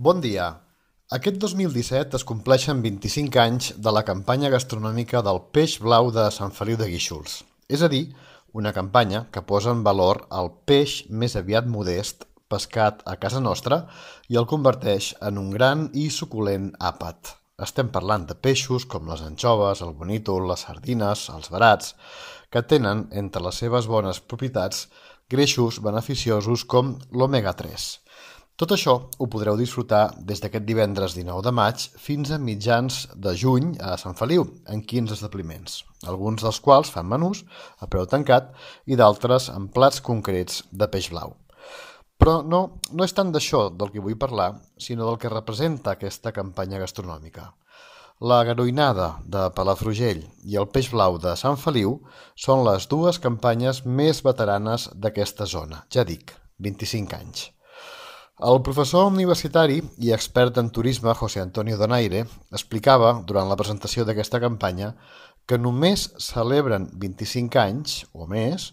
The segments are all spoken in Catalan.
Bon dia. Aquest 2017 es compleixen 25 anys de la campanya gastronòmica del peix blau de Sant Feliu de Guíxols. És a dir, una campanya que posa en valor el peix més aviat modest pescat a casa nostra i el converteix en un gran i suculent àpat. Estem parlant de peixos com les anxoves, el bonítol, les sardines, els verats, que tenen entre les seves bones propietats greixos beneficiosos com l'omega 3. Tot això ho podreu disfrutar des d'aquest divendres 19 de maig fins a mitjans de juny a Sant Feliu, en 15 establiments, alguns dels quals fan menús a preu tancat i d'altres amb plats concrets de peix blau. Però no és tant d'això del que vull parlar, sinó del que representa aquesta campanya gastronòmica. La garoinada de Palafrugell i el peix blau de Sant Feliu són les dues campanyes més veteranes d'aquesta zona, ja dic, 25 anys. El professor universitari i expert en turisme José Antonio Donaire explicava, durant la presentació d'aquesta campanya, que només celebren 25 anys, o més,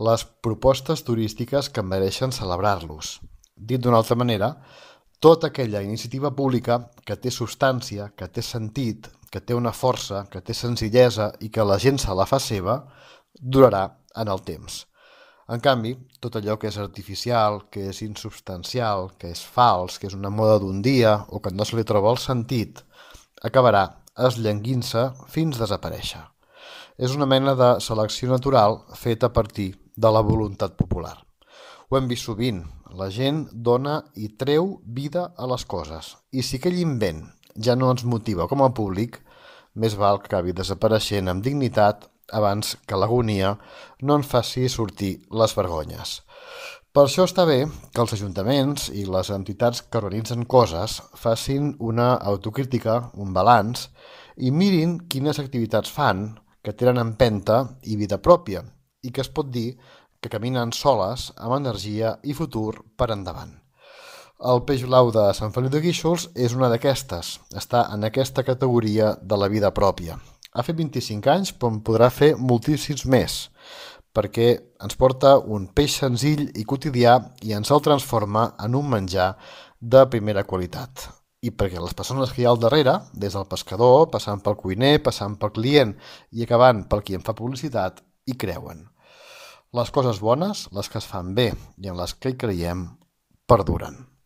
les propostes turístiques que mereixen celebrar-los. Dit d'una altra manera, tota aquella iniciativa pública que té substància, que té sentit, que té una força, que té senzillesa i que la gent se la fa seva, durarà en el temps. En canvi, tot allò que és artificial, que és insubstancial, que és fals, que és una moda d'un dia o que no se li troba el sentit, acabarà esllanguint-se fins desaparèixer. És una mena de selecció natural feta a partir de la voluntat popular. Ho hem vist sovint, la gent dona i treu vida a les coses, i si aquell invent ja no ens motiva com a públic, més val que acabi desapareixent amb dignitat abans que l'agonia no en faci sortir les vergonyes. Per això està bé que els ajuntaments i les entitats que organitzen coses facin una autocrítica, un balanç, i mirin quines activitats fan que tenen empenta i vida pròpia i que es pot dir que caminen soles amb energia i futur per endavant. El peix blau de Sant Feliu de Guíxols és una d'aquestes, està en aquesta categoria de la vida pròpia. Ha fet 25 anys, però en podrà fer moltíssims més, perquè ens porta un peix senzill i quotidià i ens el transforma en un menjar de primera qualitat. I perquè les persones que hi ha al darrere, des del pescador, passant pel cuiner, passant pel client i acabant pel qui en fa publicitat, hi creuen. Les coses bones, les que es fan bé i en les que hi creiem, perduren.